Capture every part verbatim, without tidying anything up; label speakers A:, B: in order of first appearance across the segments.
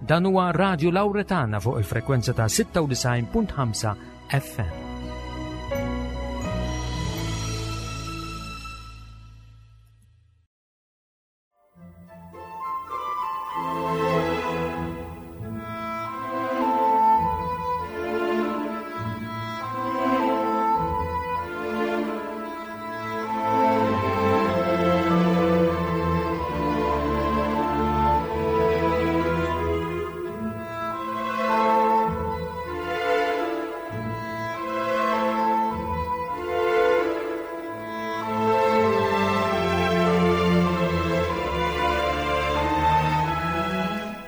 A: Dan huwa Radio Lauretana fuq il-frekwenza ta' sitta u disgħin punt ħamsa F M.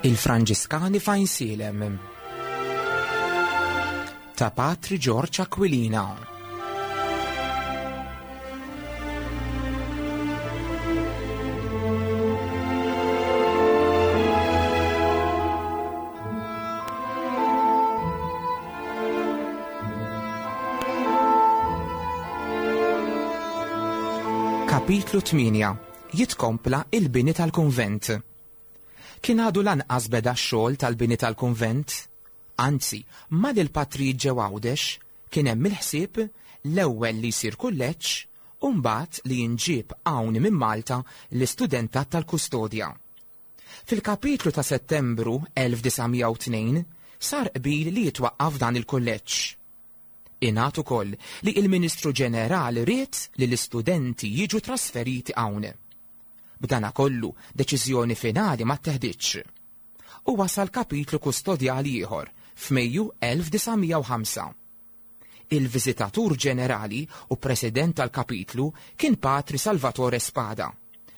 B: Il-Franġiskani f'Għajnsielem ta' Patri George Aquilina. Kapitlu tmienja. Jitkompla il-bini tal-kunvent. Kien għadu lanqas beda x-xogħol tal-bini tal-kunvent. Anzi, ma l-patrijiet ġew Għawdex, kien hemm il-ħsieb l-ewwel li jsir kulleġġ u mbagħad li jinġieb hawn minn Malta l-istudentat tal-kustodja. Fil-kapitlu ta' Settembru elf disa' mija u tnejn sar qbil li jitwaqqaf dan il-kulleġġ. Ingħad ukoll li il-Ministru Ġenerali ried li l-istudenti jiġu trasferiti hawn. B'dana kollu, deċiżjoni finali ma tteħditx. U wasal kapitlu kustodjali ieħor f'Mejju elf disa' mija u ħamsa. Il-Viżitatur Ġenerali u President tal-kapitlu kien Patri Salvatore Spada,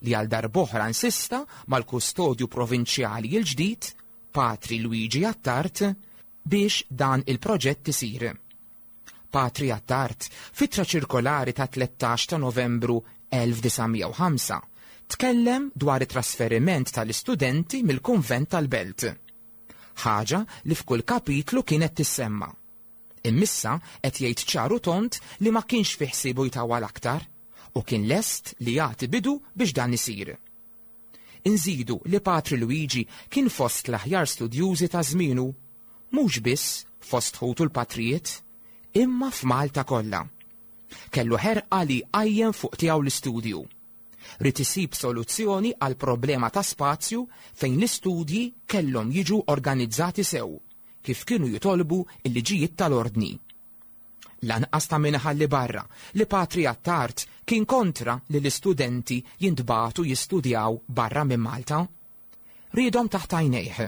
B: li għal darb'oħra insista mal-kustodju provinċjali il-ġdid, Patri Luigi Attard, biex dan il-proġett isir. Patri Attard, f'ittra ċirkolari ta' tlettax ta' Novembru elf disa' mija u ħamsa, tkellem dwar it-trasferiment tal-istudenti mill-kunvent tal-Belt. Ħaġa li f'kull kapitlu kienet tissemma. Imma issa qed jgħid ċar u tond li ma kienx fi ħsiebu jtawwal aktar u kien lest li jagħti bidu biex dan isir. Inżidu li Patri Luigi kien fost l-aħjar studjużi ta' żmienu, mhux biss fost ħutu l-patrijiet, imma f'Malta kollha. Kellu ħerqa li qajjem fuq tiegħu l-istudju. Ried isib soluzzjoni għal problema ta' spazju fejn l-istudji kellhom jiġu organizzati sew, kif kienu jitolbu il-liġijiet tal-ordni. Lanqas ta' min ħalli barra li Patri Attard kien kontra li l-istudenti jintbagħtu jistudjaw barra minn Malta. Riedhom taħt għajnejh.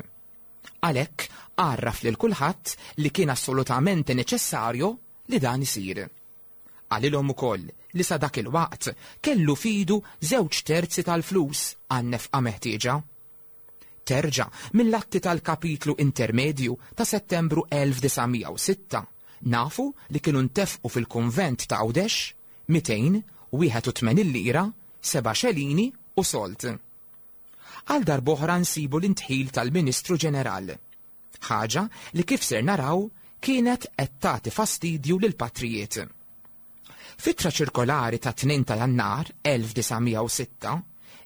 B: Għalhekk għarraf lil kulħadd li kien assolutament neċessarju li dan isir. Qalilhom ukoll li sa dak il-waqt kellu f'idu żewġ terzi tal-flus għan-nefqa meħtieġa. Terġa' mill-atti tal-kapitlu intermedju ta' Settembru elf disa' mija u sitta nafu li kienu ntefqu fil-kunvent ta' Għawdex mitejn u wieħed u tmenin lira, seba' xelini u sold. Għal darb'oħra nsibu l-indħil tal-Ministru Ġeneral. Ħaġa li, kif ser naraw, kienet qed tagħti fastidju lil patrijiet. F'ittra ċirkolari ta' tnejn ta' Jannar elf disa' mija u sitta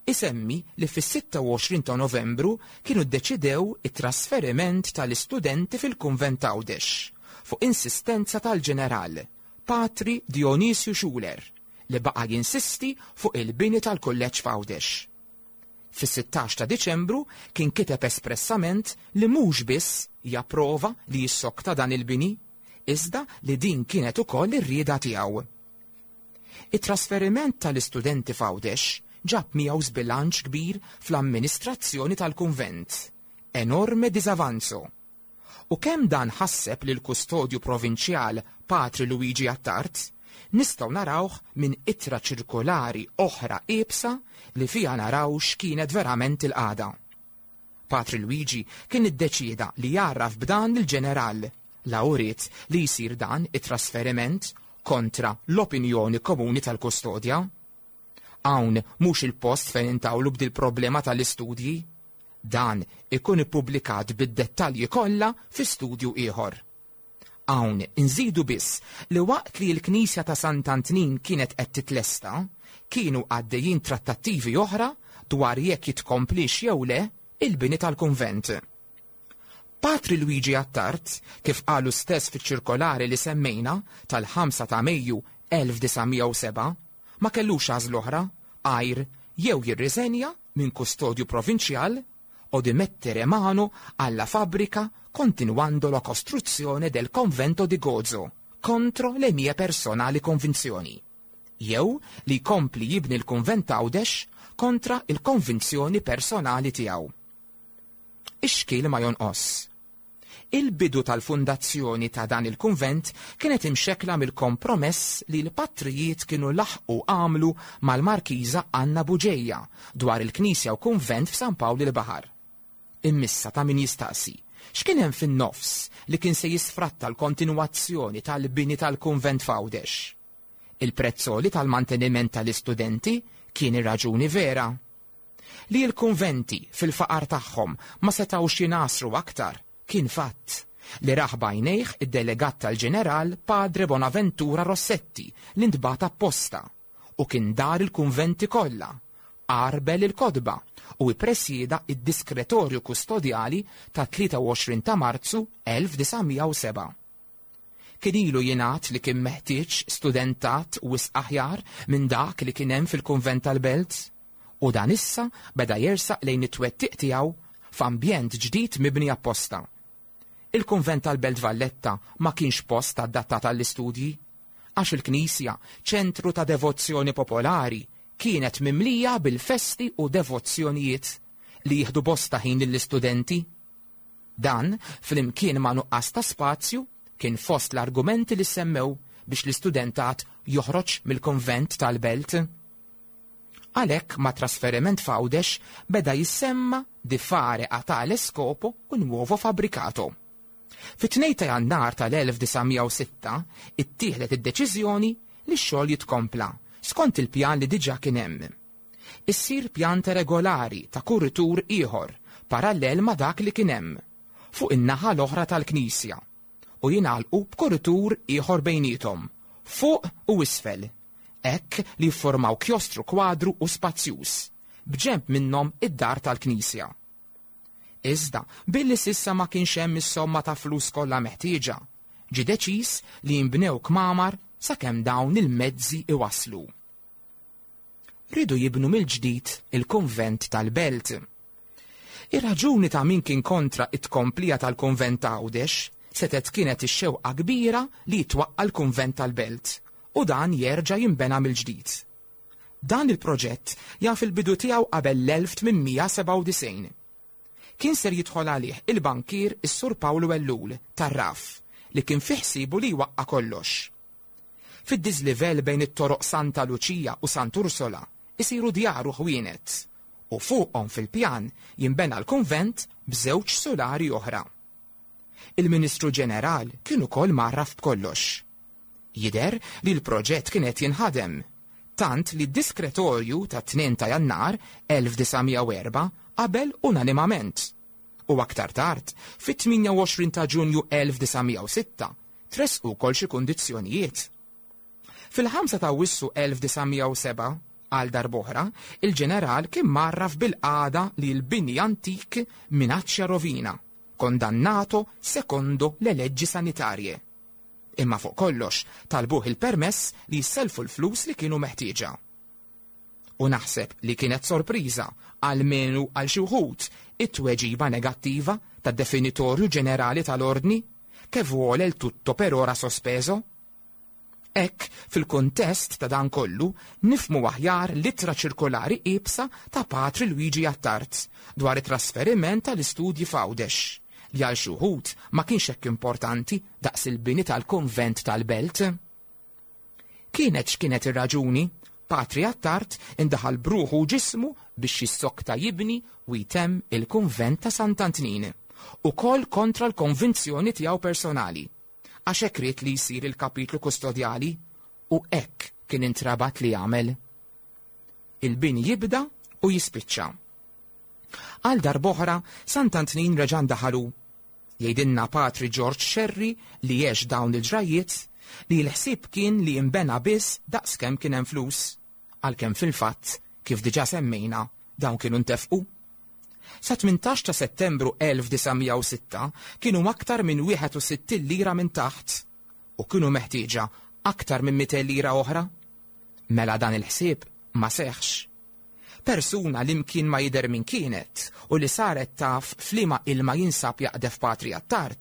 B: isemmi li fis-sitta u għoxrin ta' Novembru kienu ddeċidew it-trasferiment tal-istudenti fil-kunvent Għawdex fuq insistenza tal-ġeneral Patri Dionisju Schuler, li baqa jinsisti fuq il-bini tal-kulleġġ f'Għawdex. Fis-sittax ta' Diċembru kien kiteb espressament li mhux biss japprova li jissokta dan il-bini, iżda li din kienet ukoll ir-rieda tiegħu. It-trasferiment tal-istudenti f'Għawdex ġab miegħu żbilanċ kbir fl-amministrazzjoni tal-kunvent. Enorme disavanzo. U kemm dan ħasseb lil kustodju provinċjal Patri Luigi Attard, nistgħu narawh minn ittra ċirkolari oħra iebsa li fija naraw x'kienet verament il-qagħda. Patri Luigi kien iddeċida li jgħarraf b'dan il-ġeneral la uriet li jsir dan it-trasferiment kontra l-opinjoni komuni tal-kustodja. Hawn mhux il-post fejn intawlu b'dil problema tal-istudji. Dan ikun ippubblikat bid-dettalji kollha fi studju ieħor. Hawn inżidu biss li waqt li l-Knisja ta' Sant'Antnin kienet qed titlesta, kienu għaddejjin trattattivi oħra dwar jekk jitkomplix jew le il-bini tal-kunvent. Patri Luigi Attard, kif qalu stess fiċ-ċirkolari li semmejna tal-ħamsa ta' Mejju elf disa' mija u sebgħa, ma kellux għażla oħra għajr jew jirriżenja minn kustodju provinċjal o di mettere mano alla fabbrica continuando la costruzione del convento di Gozo contro le mie personali convinzioni, jew li jkompli jibni l-kunvent Għawdex kontra il-konvinzjoni personali tiegħu. Ix-xkiel ma jonqos. Il-bidu tal-fundazzjoni ta' dan il-kunvent kienet imxekla mill-kompromess li l-patrijiet kienu laħqu għamlu mal-Markiża Anna Buġeja dwar il-knisja u kunvent f'San Pawl il-Baħar. Immissa ta' min jistaqsi, x'kien hemm fin-nofs li kien se jisfratta l-kontinwazzjoni tal-bini tal-kunvent f'Għawdex? Il-prezzoli tal-manteniment tal-istudenti kien ir-raġuni vera. Li l-kunventi fil-faqar tagħhom ma setgħux jinasru aktar kien fatt li raħ bajnejh id-delegat tal-ġeneral Padre Bonaventura Rossetti li ntbagħat apposta u kien dar il-kunventi kollha, għarbel il-kodba u ippresjeda id-diskretorju kustodjali ta' tlieta u għoxrin ta' Marzu elf disa' mija u sebgħa. Kien ilu jingħad li kien meħtieġ studentat wisq aħjar minn dak li kien hemm fil-kunvent tal-Belt, u dan issa beda jersaq lejn it-twettiq tiegħu f'ambjent ġdid mibni apposta. Il-kunvent tal-Belt Valletta ma kienx post adattat għall-istudji, għax il-knisja, ċentru ta' devozzjoni popolari, kienet mimlija bil-festi u devozzjonijiet li jieħdu bosta ħin lill-istudenti. Dan, flimkien ma' nuqqas ta' spazju, kien fost l-argumenti li semmew biex l-istudentat joħroġ mill-kunvent tal-Belt. Għalhekk ma' trasferiment f'Għawdex beda jissemma di fare a tale scopo un nuovo fabbricato. Fit-tnejn ta' Jannar tal-elf disa' mija u sitta ittieħdet id-deċiżjoni li x-xogħol jitkompla skont il-pjan li diġà kien hemm. Issir pjanta regolari ta' kuritur ieħor parallel ma' dak li kien hemm fuq in-naħa l-oħra tal-knisja u jingħalqu b'kuritur ieħor bejniethom fuq u isfel, hekk li jiffurmaw kjostru kwadru u spazjuż b'ġenb minnhom id-dar tal-knisja. Iżda, billi sissa ma kienx hemm is-somma ta' flus kollha meħtieġa, ġie deċiż li jinbnew kmamar sakemm dawn il-mezzi iwasslu. Ridu jibnu mill-ġdid il-kunvent tal-Belt. Ir-raġuni ta' min kien kontra it-tkomplija tal-kunvent ta' Għawdex setgħet kienet ix-xewqa kbira li jitwaqqa' l-kunvent tal-Belt u dan jerġa' jinbena mill-ġdid. Dan il-proġett jaf il-bidu tiegħu qabel l-elf tmien mija sebgħa u disgħin. Kien ser jidħol għalih il-bankier is-Sur Pawlu Ellul tar-Raf li kien fi ħsiebu li jwaqqa' kollox. Fid-diżlivell bejn it-toroq Santa Luċija u Sant'Ursola isiru djar u ħwienet u fuqhom fil-pjan jinbena l-kunvent b'żewġ solari oħra. Il-Ministru Ġeneral kien ukoll mgħarraf b'kollox. Jidher li l-proġett kien qed jinħadem, tant li d-diskretorju ta' tnejn ta' Jannar elf disa' mija u erba' qabel unanimament. U aktar tard, fit-tmienja u għoxrin ta' Ġunju elf disa' mija u sitta, tressqu wkoll xi kundizzjonijiet. Fil-ħamsa ta' Awwissu elf disa' mija u sebgħa, għal darb'oħra, il-ġeneral kien mgħarraf bil-qagħda li l-bini antik minaċċja rovina, kondannato secondo le leggi sanitarje. Imma fuq kollox talbuh il-permess li jisselfu l-flus li kienu meħtieġa. U naħseb li kienet sorpriża għalmenu għal xi wħud it-tweġiba negattiva tad-definitorju ġenerali tal-ordni che vuole il tutto per ora sospeso. Hekk, fil-kuntest ta' dan kollu, nifmu aħjar l-ittra ċirkolari iebsa ta' Patri Luigi Attard dwar it-trasferiment tal-istudji f'Għawdex, li għal xi wħud ma kienx hekk importanti daqs il-bini tal-kunvent tal-Belt. Kienet x'kienet ir-raġuni, Patri Attard indaħal bruħu u ġismu biex jissokta jibni u jtemm il-kunvent ta' Sant'Antnin, ukoll kontra l-konvinzjoni tiegħu personali, għax hekk ried li jsir il-kapitlu kustodjali u hekk kien intrabat li jagħmel. Il-bini jibda u jispiċċa. Għal darb'oħra Sant'Antnin reġa' ndaħalu. Jgħidilna Patri George Scerri li għex dawn il-ġrajiet li l-ħsieb kien li jinbena biss daqskemm kien hemm flus, għalkemm fil-fatt, kif diġà semmejna, dawn kienu ntefqu. Sa tmintax ta' Settembru elf disa' mija u sitta kienu aktar minn wieħed u sittin lira minn taħt u kienu meħtieġa aktar minn mitejn lira oħra. Mela dan il-ħsieb ma seħħx. Persuna li mkien ma jidher min kienet u li saret taf f'liema ilma jinsab jaqdef Patri Attard,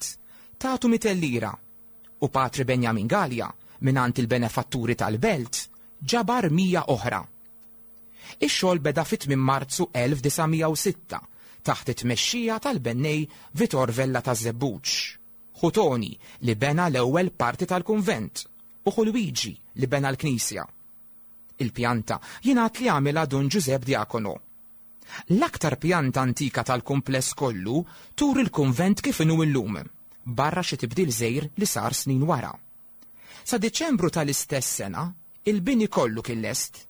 B: tagħtu mitejn lira u Patri Benjamin Galea mingħand il-benefatturi tal-belt ġabar mija oħra. Ix-xogħol beda fit-tmiem Marzu elf disa' mija u sitta taħt it-tmexxija tal-bennej Vitor Vella taż-Żebbuġ, Ħutoni li bena l-ewwel parti tal-kunvent u Ħu Luigi li bena l-knisja. Il-pjanta jingħad li għamilha Dun Giuseppe Diacono. L-aktar pjanta antika tal-kumpless kollu tur il-kunvent kif inhu illum, barra xi tibdil żgħir li sar snin wara. Sa Diċembru tal-istess sena, il-bini kollu kien lest.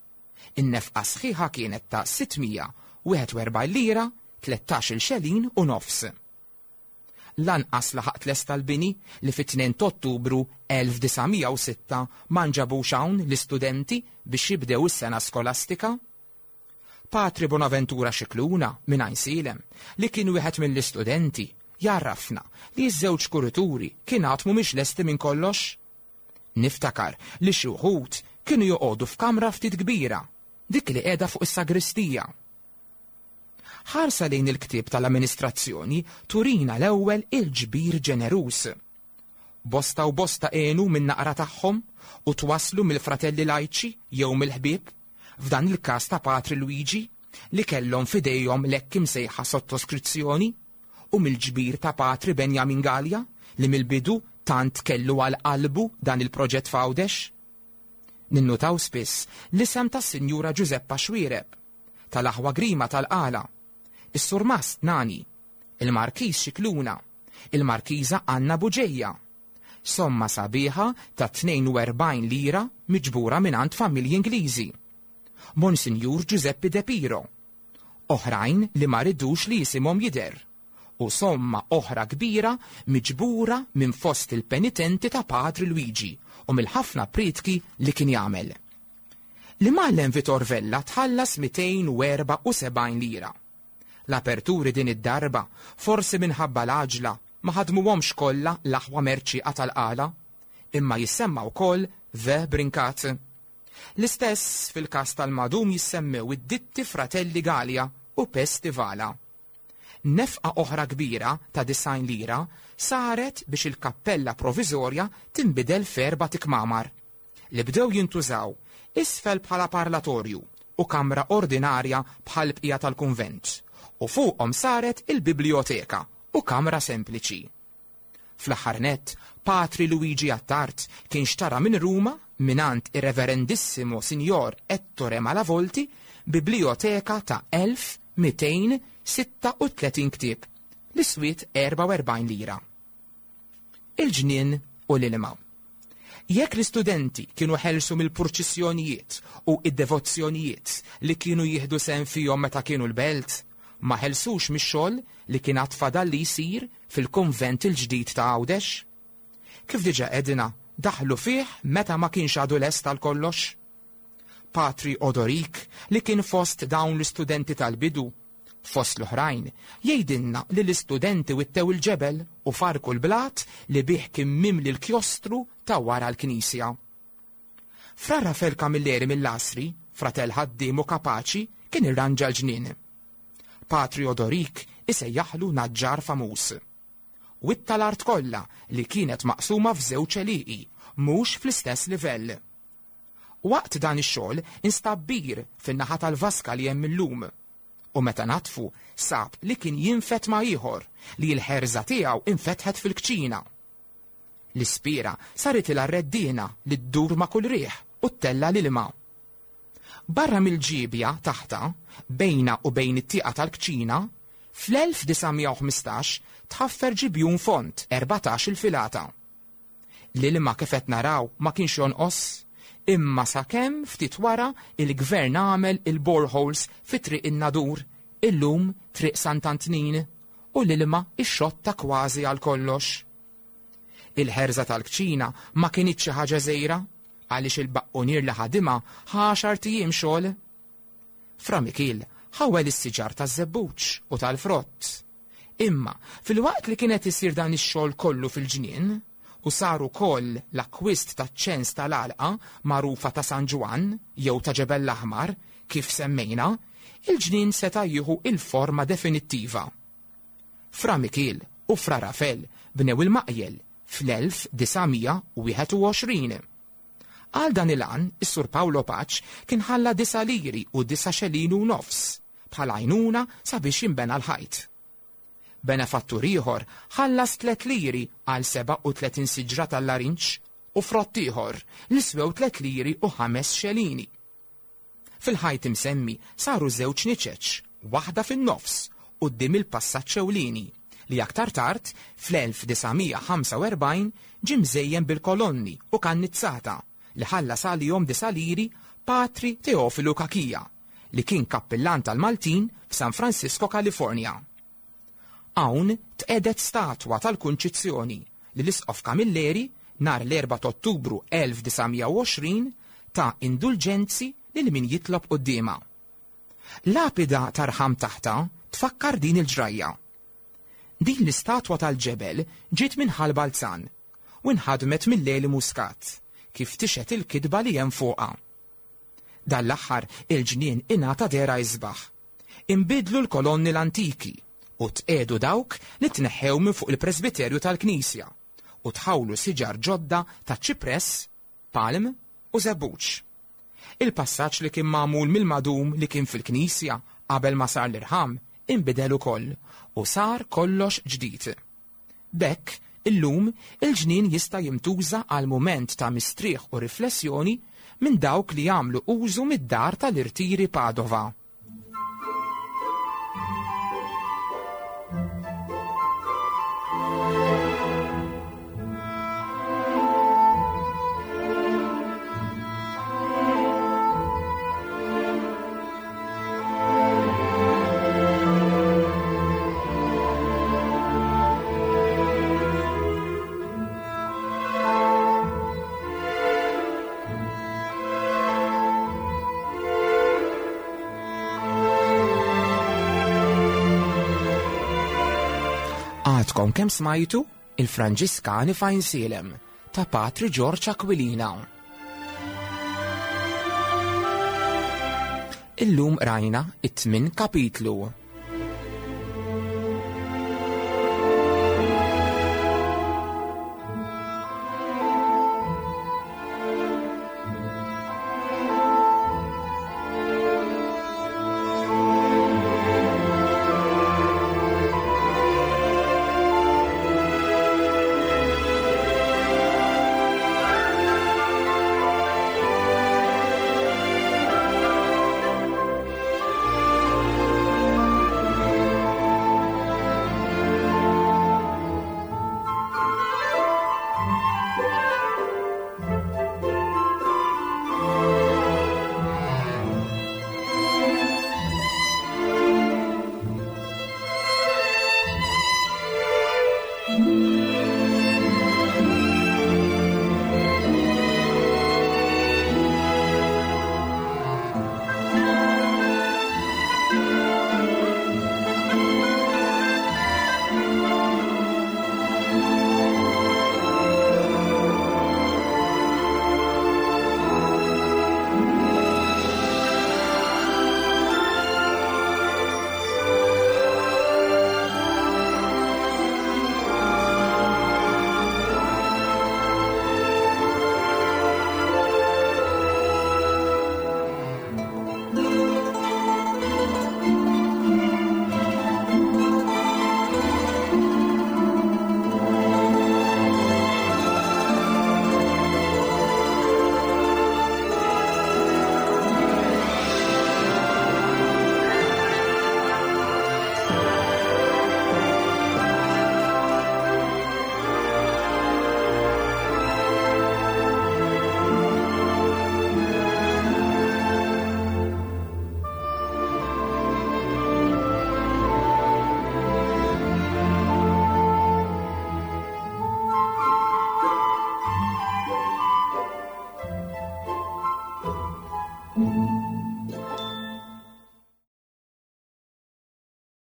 B: In-nefqa sħiħa kienet ta' sitt mija wieħed u erbgħin lira, tlettax-il xelin u nofs. Lanqas laħaq lest tal-bini li fit-tnejn ta' Ottubru elf disa' mija u sitta ma nġabux hawn l-istudenti biex jibdew is-sena skolastika. Patri Bonaventura Scicluna minn Għajnsielem, li kien wieħed mill-istudenti, jarrafna li ż-żewġ kurituri kien għad mhumiex lesti minn kollox. Niftakar li xi wħud kienu joqogħdu f'kamra ftit kbira, dik li qiegħda fuq is-sagristija. Ħarsa lejn il-ktieb tal-amministrazzjoni turina l-ewwel il-ġbir ġeneruż. Bosta u bosta għenu minn naqra tagħhom u twaslu mill-fratelli lajċi jew mill-ħbieb, f'dan il-każ ta' Patri Luigi, li kellhom f'idejhom l-hekk imsejħa sottoskrizzjoni, u mill-ġbir ta' Patri Benjamin Galea li mill-bidu tant kellu għal qalbu dan il-proġett f'Għawdex. Ninnutaw spiss l-isem tas-Sinjura Giuseppa Xuereb, tal-aħwa Grima tal-Qala, is-Surmast Nani, il-Markiż Scicluna, il-Markiża Anna Buġeja. Somma sabiħa ta' tnejn u erbgħin lira miġbura mingħand familji Ingliżi. Monsinjur Giuseppe De Piro. Oħrajn li ma ridux li jisimhom jidher. U somma oħra kbira miġbura minn fost il-penitenti ta' Patri Luigi u mill-ħafna prietki li kien jagħmel. L-imgħallem Vitor Vella tħallas mitejn u erba' u sebgħin lira. L-aperturi din id-darba, forsi minħabba l-għaġla, ma ħadmuhomx kollha l-aħwa Merċieqa tal-Qala, imma jissemma wkoll The Brincat. L-istess fil-każ tal-madum jissemmew id-ditti Fratelli Galea u Pestivala. Nefqa oħra kbira ta' disgħin lira saret biex il-kappella provizorja tinbidel f'erba' tikmamar li bdew jintużaw isfel bħala parlatorju u kamra ordinarja bħal bqija tal-kunvent, u fuqhom saret il-biblioteka u kamra sempliċi. Fl-aħħar nett, Patri Luigi Attard kien xtara minn Ruma mingħand ir-Reverendissimo Signor Ettore Malavolti biblioteka ta' elf mitejn sitta u tletin ktieb li swiet erba' u erbgħin lira. Il-ġnien u l-ilma. Jekk l-istudenti kienu ħelsu mill-purċissjonijiet u id-devozzjonijiet li kienu jieħdu sehem fihom meta kienu l-belt, ma ħelsux mix-xogħol li kien għad fadal li jsir fil-kunvent il-ġdid ta' Għawdex. Kif diġà għedna, daħlu fih meta ma kienx għadu lest għal kollox. Patri Odorik, li kien fost dawn l-istudenti tal-bidu, fost l-oħrajn, jgħidilna li l-istudenti wittew il-ġebel u farku l-blat li bih kien mimli l-kjostru ta' wara l-knisja. Fra Rafael Camilleri mill-Asri, fratell ħaddiem u kapaċi, kien irranġa l-ġnien. Patri Odorik isejjaħlu naġġar famuż. Witta l-art kollha li kienet maqsuma f'żewġ għelieqi, mhux fl-istess livell. Waqt dan ix-xogħol instab bir fin-naħa tal-vaska li hemm illum. U meta natfu sab li kien jinfet ma' ieħor li l-ħerża tiegħu infetħet fil-kċina. L-ispira saret ilha reddina li ddur ma' kull riħ u ttella l-ilma. Barra mill-ġibja taħta, bejna u bejn it-tieqa tal-kċina, fl-elf disa' mija u ħmistax tħaffer ġibjun font erbatax il-filata. L-ilma kif qed naraw ma kienx jonqos, imma sakemm ftit wara il-gvern għamel il-boreholes fi Triq in-Nadur, illum Triq Sant'Antnin, u l-ilma ixxotta kważi għal kollox. Il-ħerża tal-kċina ma kinitx xi ħaġa żgħira, għaliex il-baqqunier li ħadimha għaxar tijiem xogħol. Fra Mikiel ħawel is-siġar taż-żebbuġ u tal-frott. Imma filwaqt li kienet isir dan ix-xogħol kollu fil-ġnien u sar ukoll l-akkwist taċ-ċens tal-għalqa magħrufa ta' San Ġwann jew ta' Ġebel l-Aħmar kif semmejna, il-ġnien seta' jieħu il-forma definittiva. Fra Mikiel u Fra Rafel bnew il-maqjel fl-elf disa' mija u wieħed u għoxrin. Għal dan il-għan, is-Sur Paolo Pace kien ħalla disa' liri u disa' xelin u nofs bħala għajnuna sabiex jinbena l-ħajt. Benefattur ieħor ħallas tliet liri għal seba' u tletin siġra tal-larinġ u frott ieħor li swew tliet liri u ħames xelini. Fil-ħajt imsemmi saru żewġ niċeċ, waħda fin-nofs quddiem il-passaġġ ewlieni li aktar tard fl-elf disa' mija ħamsa u erbgħin ġie mżejjen bil-kolonni u kannizzata li ħallas għalihom disa' liri Patri Teofilu Cachia li kien kappillan tal-Maltin f'San Francisco, California. Hawn tqedet statwa tal-Kunċizzjoni li l-Isqof Camilleri nhar l-erba' ta' Ottubru elf disa' mija u għoxrin ta' indulġenzi lil min jitlob quddiemha. Lapida tarħam taħta tfakkar din il-ġrajja. Din l-istatwa tal-ġebel ġiet minn Ħal Balzan u nħadmet mill-Leli Muscat kif tixet il-kitba li hemm fuqha. Dan l-aħħar il-ġnien ingħata dehra isbaħ. Inbidlu l-kolonni l-antiki u tqedu dawk li tneħħew minn fuq il-presbiterju tal-knisja u tħawlu siġar ġodda ta' ċipress, palm u żebbuġ. Il-passaġġ li kien magħmul mill-madum li kien fil-knisja qabel ma sar l-irħam inbidel ukoll u sar kollox ġdid. B'hekk, illum il-ġnien jista' jintuża għal mument ta' mistrieħ u riflessjoni minn dawk li jagħmlu użu mid-dar tal-irtiri Padova. Għadkom kemm smajtu il-Franġiskani f'Għajnsielem ta' Patri Ġorġ Aquilina. Illum rajna it-tmien kapitlu.